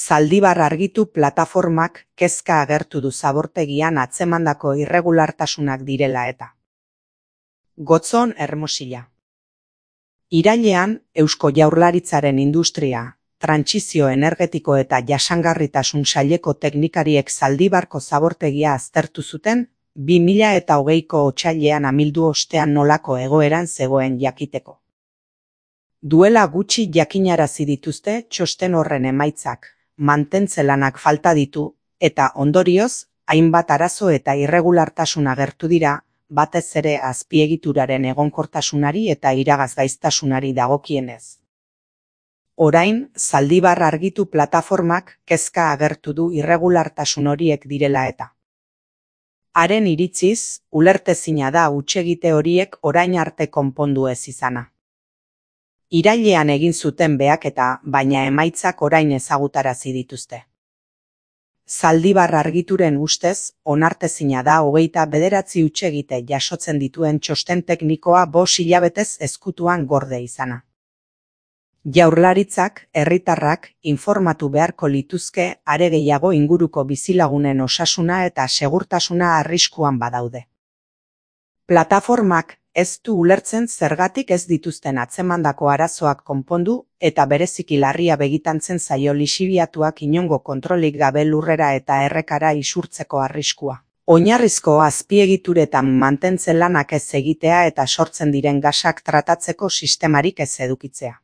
Zaldibar argitu plataformak kezka agertu du zabortegian atzemandako irregulartasunak direla eta. Gotzon Hermosilla. Irailean, Eusko Jaurlaritzaren industria, trantsizio energetiko eta jasangarritasun saileko teknikariek Zaldibarko zabortegia aztertu zuten, 2020ko otsailean amildu ostean nolako egoeran zegoen jakiteko. Duela gutxi jakinarazi dituzte txosten horren emaitzak, mantentze lanak falta ditu, eta ondorioz, hainbat arazo eta irregulartasun agertu dira, batez ere azpiegituraren egonkortasunari eta iragazgaiztasunari dagokienez. Orain, Zaldibar argitu plataformak kezka agertu du irregulartasun horiek direla eta. Haren iritziz, ulertezina da hutsegite horiek orain arte konpondu ez izana. Irailean egin zuten behaketa, baina emaitzak orain ezagutarazi dituzte. Zaldibar argituren ustez, onartezina da 29 hutsegite jasotzen dituen txosten teknikoa 5 hilabetez ezkutuan gorde izana. Jaurlaritzak, herritarrak, informatu beharko lituzke are gehiago inguruko bizilagunen osasuna eta segurtasuna arriskuan badaude. Plataformak ez du ulertzen zergatik ez dituzten atzemandako arazoak konpondu eta bereziki larria begitantzen zaio lixibiatuak inongo kontrolik gabe lurrera eta errekara isurtzeko arriskua. Oinarrizko azpiegituretan mantentze lanak ez egitea eta sortzen diren gasak tratatzeko sistemarik ez edukitzea.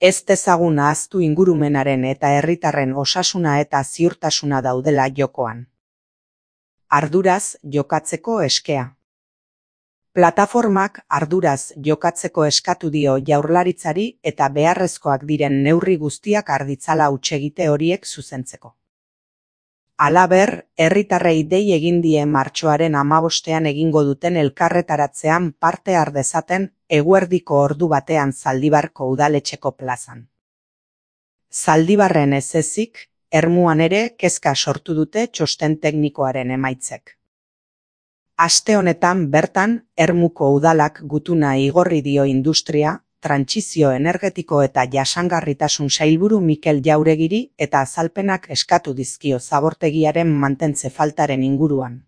Ez dezagun ahaztu ingurumenaren eta herritarren osasuna eta ziurtasuna daudela jokoan. Arduraz jokatzeko eskea. Plataformak arduraz jokatzeko eskatu dio Jaurlaritzari eta beharrezkoak diren neurri guztiak har ditzala hutsegite horiek zuzentzeko. Halaber, herritarrei dei egin die martxoaren 15ean egingo duten elkarretaratzean parte har dezaten eguerdiko ordu batean Zaldibarko udaletxeko plazan. Zaldibarren ez ezik, Ermuan ere kezka sortu dute txosten teknikoaren emaitzek. Aste honetan bertan, Ermuko udalak gutuna igorri dio industria, trantsizio energetiko eta jasangarritasun sailburu Mikel Jauregiri eta azalpenak eskatu dizkio zabortegiaren mantentze faltaren inguruan.